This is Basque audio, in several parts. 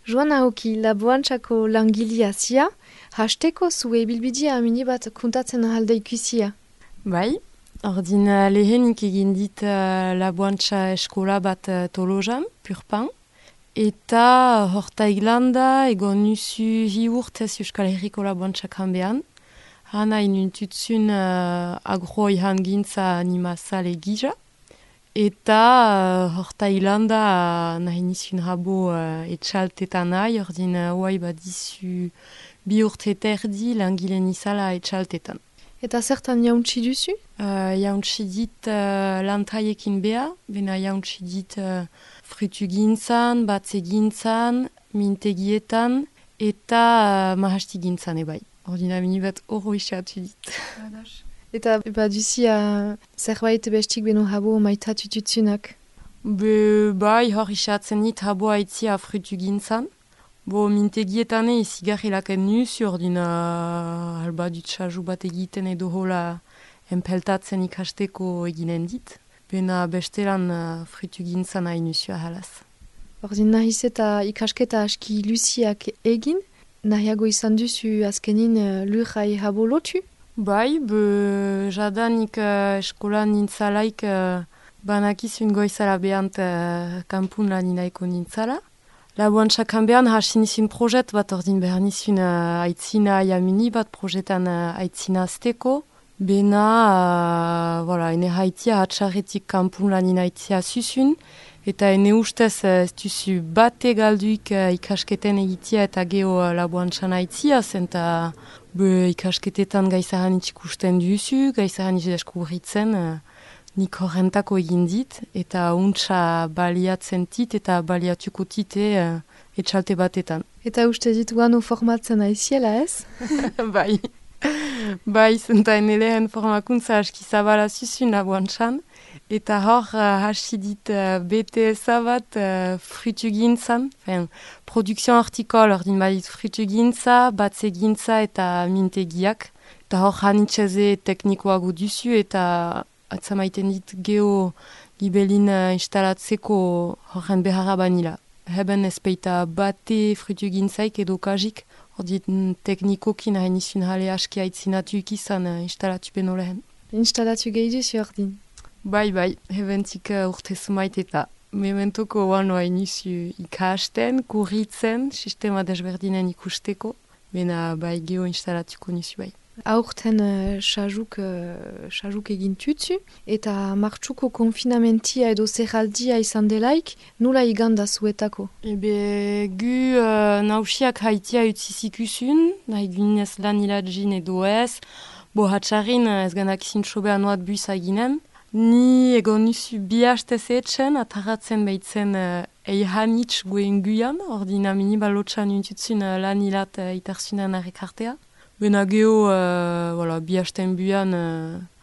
Joan ahoki laboantzako langilia zia, hasteko zue bilbidia amini bat kontatzen alde ikusia. Bai, ordin lehenik egin dit laboantza eskola bat Tolosan, Purpan. Eta horta iglanda egon nusu hi urtez Euskal Herriko laboantzak hanbean. Hana inuntutsun agroi hangintza animazale gija. Eta horta iglanda nahi nizun rabo etxaltetan nahi, ordin hoai badizu bi urte terdi langileen izala etxaltetan. Eta zertan jauntsi duzu? Jauntsi dit lantaiekin beha, bena jauntsi dit frutugintzan, batzegintzan, mintegietan, eta mahastigintzan ebai. Ordina mini bat oro isatu dit. Eta baduzia zerbait bestik beno habo maitatu tutsunak? Bai, hor isatzen dit habo haitzia frutugintzan. Bo mintegietan izigarrilaken nuzu, ordina alba dutxaju bat egiten edo hola enpeltatzen ikasteko eginen dit. Bena bestelan frutugintzan nahi nuzu ahalaz. Ordin nahiz eta ikasketa aski luziak egin, nahiago izan duzu azkenin lurrai habo lotu? Bai, jadanik eskolan nintzalaik banakizun goizala behant kampun lan inaiko nintzala. Laboantzak hanbean hasi nizun projet bat ordin behar nizun aitzina jamini bat projetan aitzina azteko. Bena, ene haitia hatxarretik kampun lan inaitzia zuzun. Eta ene ustez ez duzu bate galduik ikasketen egitia eta geho laboantzan aitzia, zenta ikasketetan gaizahan itxikusten duzu, gaizahan itxideskubritzen, nik horrentako egin dit, eta untsa baliatzen tit eta baliatuko tite etxalte batetan. Eta uste dituano formatzen aiziela ez? Bai. Bai, zenta ene lehen formakuntza aski zabala zuzun laboantzan. Eta hor hasi dit BTS-a bat frutugintzan, produkzio hortikol ordin badit frutugintza, batzegintza eta mintegiak. Eta hor hanitxeze teknikoago duzu eta atzamaiten dit geho gibelin instalatzeko horren beharra banila. Heben ezpeita bate frutugintzaik edo kajik, ordin teknikokin hain izun jale aski aitzinatu ikizan instalatu beno lehen. Instalatu gehi duzu ordin? Bai, hebentik urte zumait eta mementoko oan hain izu ikasten, kurritzen, sistema desberdinen ikusteko, bena bai geho instalatuko nizu bai. Aurten sajuk egin tutsu, eta martxuko konfinamentia edo zerraldia izan delaik, nula iganda zuetako? Gu nausiak haitia utzizikusun, nahi gunez lan hiladzin edo ez, bo hatxarin ez ganak zintxobean oat buiza eginen. Ni egon nuzu bi hastez etxen, ataratzen behitzen eihanitz goen guian, ordina mini balotxan untutzun lan hilat itarzunan arrekartea. Bena geho, bi hasten buian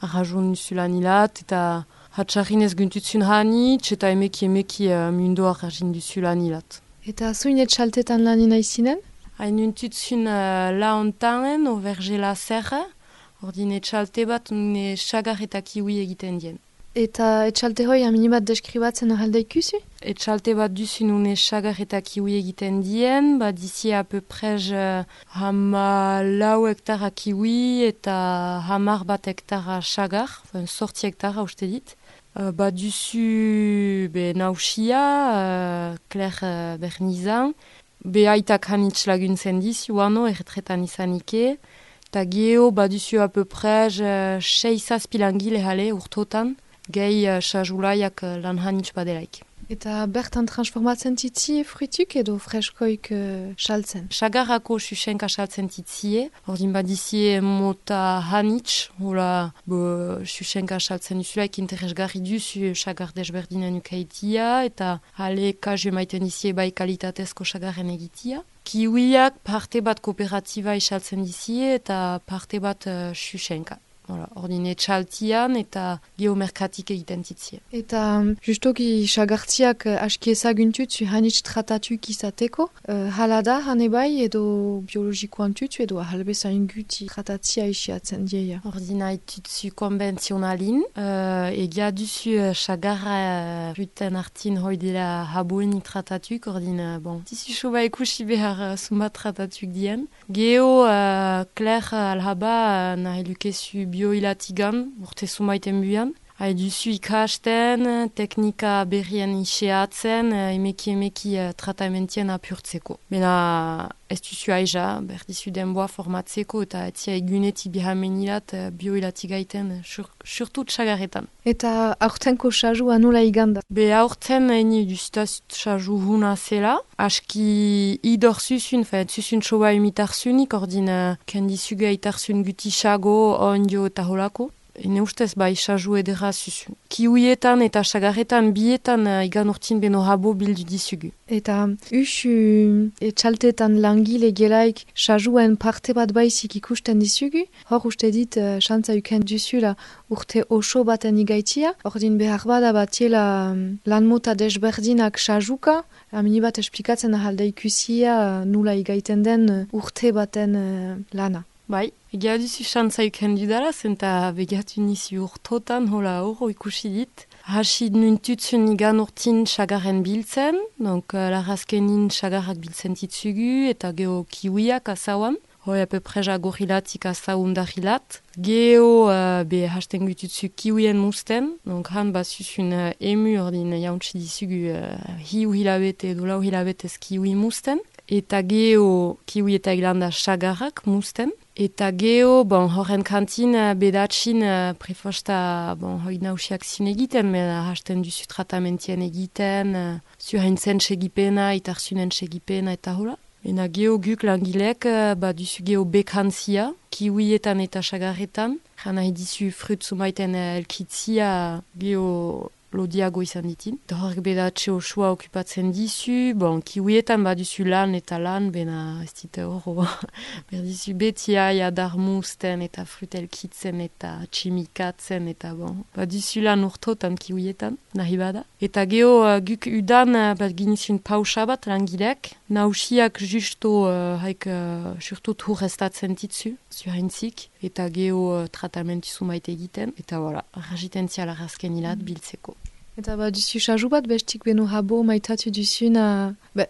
arrajon nuzu lan hilat, eta hatxarrin ez guntutzun hanitz, eta emeki mundo arrajin duzu lan hilat. Eta zuin etxaltetan lan inaizinen? Hain untutzun la ontanen, overgela zerra, ordin etxalte bat une xagar eta kiwi egiten dien. Eta etxalte hoi amini bat deskribatzen ahalda ikusi? Etxalte bat duzun une xagar eta kiwi egiten dien, bat dizi a peu prez hama lau hektara kiwi eta hamar bat hektara xagar, sorti hektara uste dit. Bat duzu nausia, Claire Bernizan, aitak hanitz laguntzen dizu ano erretretan izanike, eta geho baduzu a peu prez 6-7 langile jale urtotan, gehi sajulaiak lan hanitz badelaik. Eta bertan transformatzen titzie frutuk edo freskoik saltzen? Sagarrako susenka saltzen titzie, ordin badizie mota hanitz, hola susenka saltzen duzulaik interesgarri duzu sagar desberdinen ukaitia, eta hale kazu maiten dizie bai kalitatezko sagarren egitia. Kiwiak parte bat kooperatiba isaltzen dizie eta parte bat susenka. ordin etxaltian eta geomerkatik egiten zitzie. Eta justoki sagartziak aski ezaguntutzu hanitz tratatuik izateko, hala da hane bai edo biologikoan tutzu edo ahalbezain guti tratatzia isiatzen dieia. Ordin haitutzu konbentzionalin, egia duzu sagarra ruten artin hoi dela haboeni tratatuik, ordin, tizu soba ikusi behar zumbat tratatuik dien. Geo, Claire alhaba nahi lukezu bioilatigan, urte sumaiten buian. Duzu ikasten, teknika berrien iseatzen, emeki tratamentien apurtzeko. Bena ez duzu aiza, berdizu denboa formatzeko eta etzia egunetik bihamenilat bioilatigaiten, surtut sagarretan. Eta aurtenko sajua nola iganda? Be aurten eni duztaz saju huna zela, aski idor zuzun, zuzun soba imitarzunik, ordin kendizuge aitarzun guti sago, ondio eta holako. Ene ustez bai saju edera zuzun. Kiuietan eta sagarretan bietan igan urtin beno habo bildu dizugu. Eta usu etxaltetan langile gelaik sajuen parte bat baizik ikusten dizugu, hor uste dit xantza uken duzula urte oso baten igaitia, ordin behar bada batiela lan mota desberdinak sajuka, amini bat esplikatzen ahalda ikusia nula igaiten den urte baten lana. Bai, egia duzu xantzaik hendudara, zenta begatu nizi urtotan hola horro ikusi dit. Hasi nuntutzun igan urtin sagarren biltzen, donc larazkenin sagarrak biltzen titzugu, eta geho kiwiak asauan. Hoi apepreza gorilatik asau undarilat. Geho be hasten gututzu kiwien musten, donc han basuzun emu ordin jauntsi dizugu hiu hilabete edo lau hilabetez kiwi musten. Eta geho kiwi eta eglanda sagarrak musten. Eta geho, horren kantin bedatxin prefosta, hoi nausiak zin egiten, mena hasten duzu tratamentien egiten, zuhaintzen segipena, itarzunen segipena eta hola. Ena geho guk langilek, duzu geho bekantzia, kiwietan eta sagarretan, jana edizu frut zumaiten elkitzia geho lodiago izan ditin. Eta horrek bedatxe osua okupatzen dizu, kiwietan duzu lan eta lan, bena ez dite horro. Berdizu betia, jadar musten eta frutelkitzen eta tximikatzen eta duzu lan urtotan kiwietan, nahi bada. Eta geho guk udan ginizun pausa bat langilek, nausiak justo haik surtut hurrestatzen ditzu, zuhaintzik, eta geho tratamentu zumaite egiten, eta voilà, ragitentzia larazken hilat biltzeko. Eta duzu saju bat bestik beno habo maitatu duzun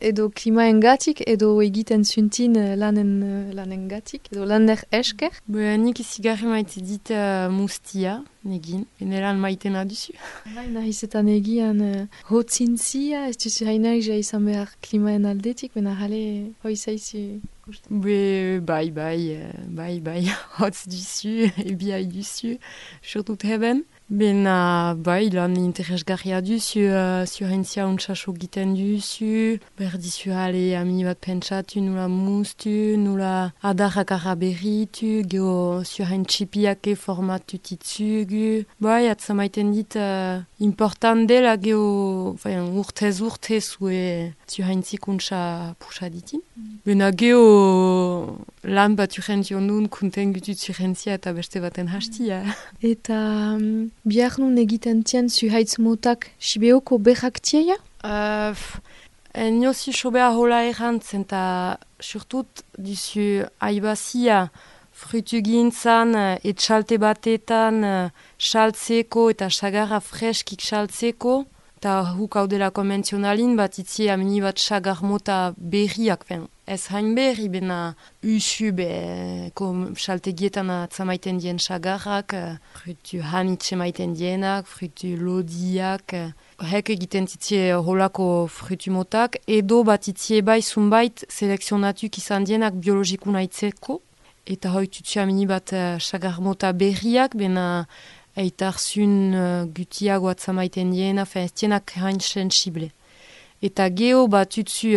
edo klimaen gatik edo egiten zuntin lanen gatik edo laner esker? Nik izigarri maite dit mustia, negin, enelan maitena duzu. Nahizetan egian hotzintzia, ez duzu hainaik ja izan behar klimaen aldetik, bena jale hoi zaizu. Bai, hotz duzu, ebiai duzu, surtut heben. Bena, lan interesgarria duzu, zuhaintzia untsaso giten duzu, berdizu hale amini bat pentsatu, nula mustu, nula adarrak araberritu, geho zuhaintxipiake formatu titzugu. Atzamaiten dit important dela geho urtez zue zuhaintzik untsa pusa ditin. Bena geho lan bat urrention nun kunten gutut zuhaintzia eta beste baten hastia. Eta bihar nun egiten tien zuhaitz motak sibeoko berrak tieia? Niozi sobea hola errantzen eta surtut duzu aibazia frutu gintzan etxalte batetan saltzeko eta sagarra freskik saltzeko eta huk hau dela konvenzionalin bat itzie amini bat sagar mota berriak ez hain berri bena usu saltegietan atzamaiten dien sagarrak, frutu hanitxe maiten dienak, frutu lodiak, hek egiten zitzie holako frutu motak, edo bat itzie bai zunbait selekzionatuk izan dienak biologikuna itzeko, eta hoi tutsu amini bat sagar mota berriak, bena eitarzun gutiago atzamaiten diena, ez dienak hain sensible. Eta geho batutzu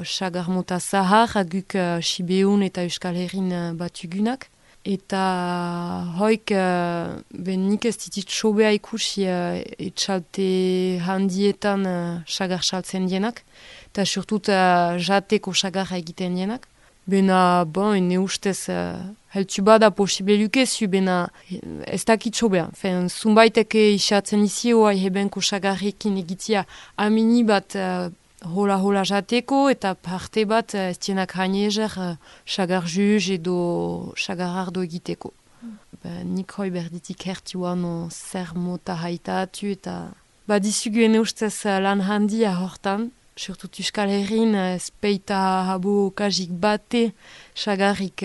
sagar mota zahar, guk Sibeun eta Euskal Herrin batugunak. Eta hoik nik ez ditit sobea ikusi etxalte handietan sagar saltzen dienak. Eta surtut jateko sagarra egiten dienak. Bena, ene ustez heltu bada posible lukezu, bena ez dakitxo beha. Zunbaiteke isatzen izio, hebenko sagarrekin egitia amini bat hola jateko, eta parte bat ez dienak haniezer sagar juz edo sagar ardo egiteko. Nik hoi berditik hertuan zer mota haitatu, eta dizugu ene ustez lan handia hortan, surtout Euskal Herrin, speita habo kajik bate sagarrik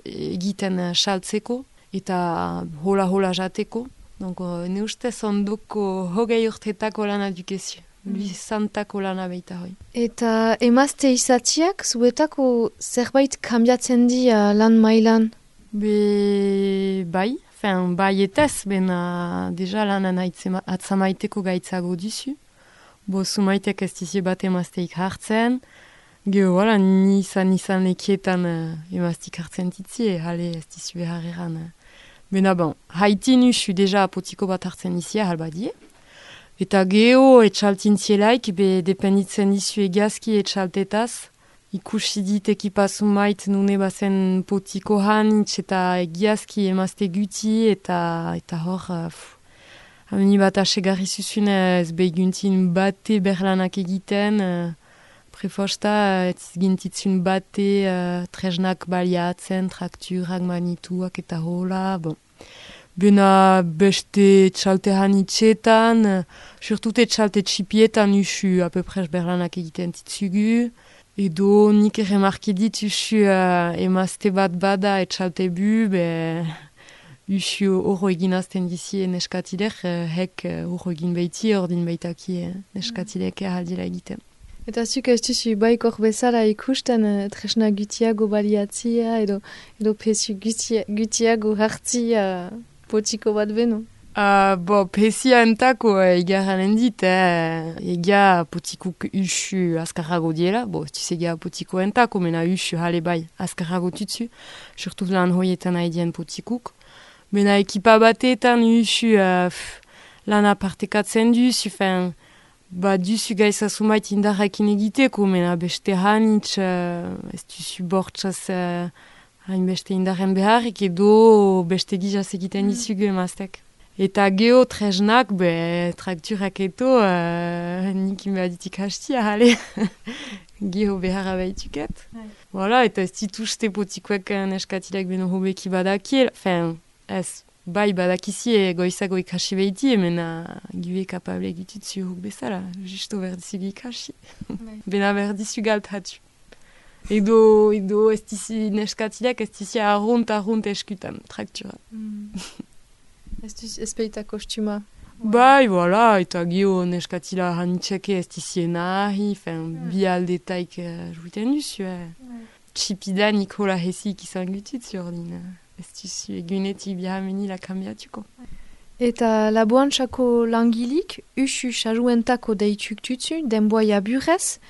egiten saltzeko eta hola jateko. Donc, ne ustez ondoko hogei urtetako lana dukezu. Luizantako lana beita hoi. Eta emazte izatiak, zuetako zerbait kambiatzen di lan mailan? Bai, bai etez, bena deja lanan atzamaiteko gaitzago duzu. Zumaitek ez dizie bat emazteik hartzen. Gero, wala, nizan lekietan emaztik hartzen ditzie, hale ez dizu behar eran. Bena bon, haiti nusu deja apotiko bat hartzen izia halbadie. Eta geho etxaltin zielaik, dependitzen dizu egazki etxaltetaz. Ikusi dit ekipazumait nune bazen potiko hanitz eta egiazki emazte guti eta hor... Hameni bat asegarri zuzun ez behiguntin bate berlanak egiten, prefosta ez gintitzun bate tresnak baliatzen, trakturak, manituak eta hola. Bena beste txalte hanitzetan, surtut txalte txipietan usu apeprez berlanak egiten titzugu. Edo nik remarki dit usu emazte bat bada etxalte bu, usu horro egin azten dizie neskatilek, hek horro egin behiti, ordin behitaki neskatilek eraldila egiten. Eta zuk ez duzu baikor bezala ikusten tresna gutiago baliatzia edo pesu gutiago hartzia potiko bat beno? Pesia entako egarranen dit, ega potikuk usu askarrago diela, ez ega potiko entako, mena usu hale bai askarrago tutsu, surtout lan hoietan haidien potikuk. Bena ekipa batetan usu lan apartekatzen duzu, duzu gaiza sumait indarrakin egiteko, mena beste hanitz, ez duzu bortzaz hainbeste indarren beharrik, edo beste gizaz egiten dizugu emaztek. Eta geho tresnak, trakturak eto, nik inbaditik hastia, hale. Geho beharra behituket. Voilà, eta ez dituzte potikoek neskatilek beno hobeki badakiel. Ez, bai badakizie goizago ikasi behiti, mena gibe kapable egitutzu huk bezala. Justo berdizugu ikasi. Bena berdizu galtatu. Edo ez dizi neskatilek, ez dizi arrunt eskutan, traktura. Ez peita kostuma. Bai, voilà, eta geho neskatila hanitzeke ez dizien nahi, bi aldetaik juiten duzu. Txipida Nikola Hesik izan gututzu ordin. Ez duzu egunetik bihameni la kambiatuko. Eta laboantzako langilik, usu sajuentako deituk tutzu, denboa burez,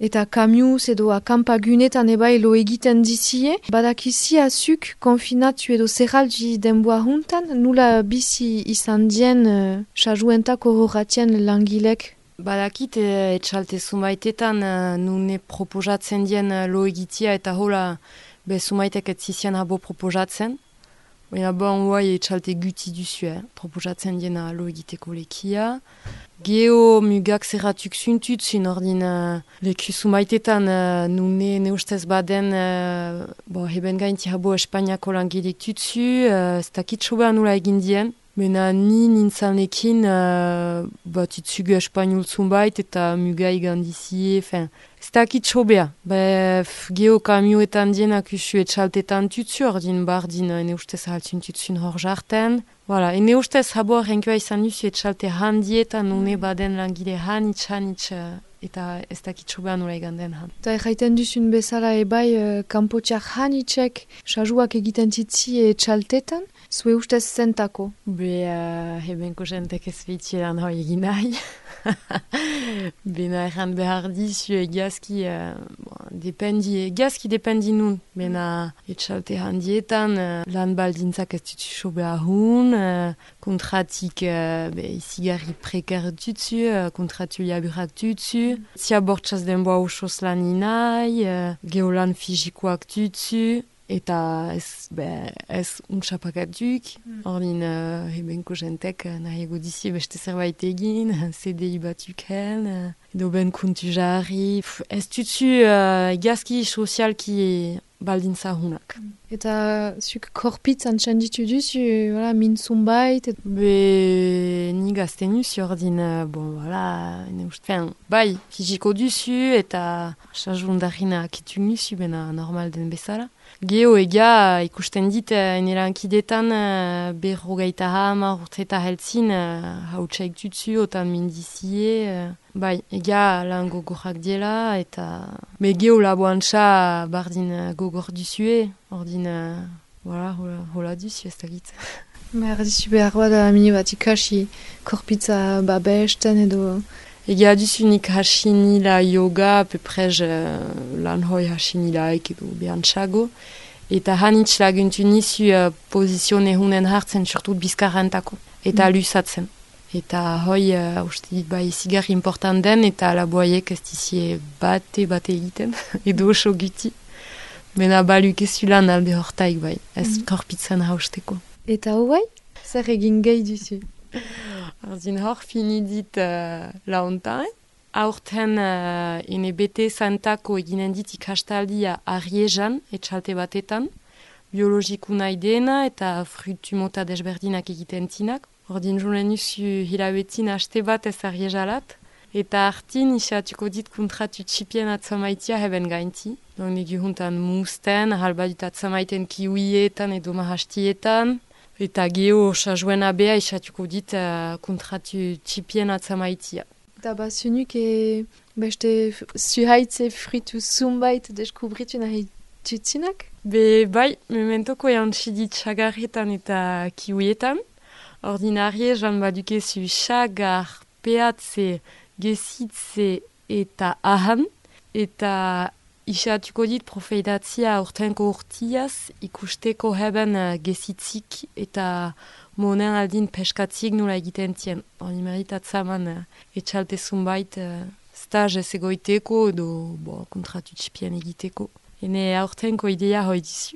eta kamiuz edo akampagunetan ebai lo egiten dizie, badakizia zuk konfinatu edo zerraldi denboa juntan, nula bizi izan dien sajuentako horratien langilek? Badakit etxalte zumaitetan nune proposatzen dien lo egitia eta hola zumaitek etzizian habo proposatzen. Baina huai etxalte guti duzu, proposatzen dien lo egiteko lekia. Geho mugak zerratuk zuntutzun ordin leku zumaitetan nune ustez baden heben gainti habo Espainiako langilik tutzu, ez dakit sobean nula egin dien. Bena nintzalnekin tutzugu Espainiol zunbait eta mugai gandizie, ez dakit sobea. Geho kamioetan dienak usu etxaltetan tutzu ordin bardin ene ustez haltzun tutzun hor jarten. Voilà, ene ustez habo renkua izan duzu etxalte handietan nune baden langile hanitz eta ez dakit sobean nola egan den han. Eta erraiten duzun bezala ebai kanpotiak hanitzek sajuak egiten titzi etxaltetan, zue ustez zentako? Hebenko jentek ez behitieran hoi egin nahi. Bena erran behar dizu egazki dependi nun. Bena etxalte handietan lan baldintzak ez dutu sobe ahun, kontratik izigarri prekar dutzu, kontratu laburak dutzu, zia bortzaz denboa osoz lan inai, geolan fizikoak dutzu, Eta ez untxapakatuk, ordin ebenko jentek nahiago dizi beste zerbait egin, CDI batuken, edo ben kuntu jarri. Ez tutsu egazki sozialki baldintza hunak. Eta zuk korpitz antxan ditu duzu, min zumbait? Be ni gazten duzu ordin, bai, fiziko duzu eta sajundarina akitu duzu, bena normal den bezala. Geo ega ikusten dit enerankidetan berrogeita hamar urteta heltzin hautsaik tutsu otan mindizie. Bai, ega lan gogorrak diela eta... Me geo laboantxa bardin gogor duzue, ordin, hola duzu ez da git. Erdizu behar bada mini bat ikasi korpitza babesten edo... Ega duzunik hasinila yoga, peprej lan hoi hasinilaik edo behantxago. Eta hanitz laguntu nizu pozizione hunen hartzen, surtut bizkarrentako. Eta lusatzen. Eta hoi, uste dit, bai, zigarri important den, eta laboaiek ez dizie bate egiten, edo oso guti. Bena baluk ezu lan alde hortaik, bai, ez korpitzen hausteko. Eta hoi, zer egin gehi duzu? Arzin hor fini dit launtain. Aurten ene bete zantako eginen dit ikastaldia Arriezan, etxalte batetan. Biologiku nahi dena eta frutu mota desberdinak egiten tinak. Ordin jolen usu hilabetin haste bat ez Arriezalat. Eta hartin isatuko dit kontratu txipien atzamaitia heben gainti. Don egi juntan musten, halbadut atzamaiten kiwietan edo mahastietan. Eta geho sajuen abea isatuko dit kontratu txipien atzamaitia. Eta basunuk beste zuhaitze fritu zumbait deskubritu nahi tutzinak? Bai, mementoko jantxidit xagarretan eta kiwietan. Ordinarie jan badukezu xagar, peatze, gezitze eta ahan. Eta isatuko dit profeidatzia urtenko urtiaz ikusteko heben gezitzik eta monen aldin peskatzik nula egiten tien. Hori meritatzaman etxalte zumbait stage ez egoiteko edo kontratu txipien egiteko. Ene aurtenko idea hoi dizu.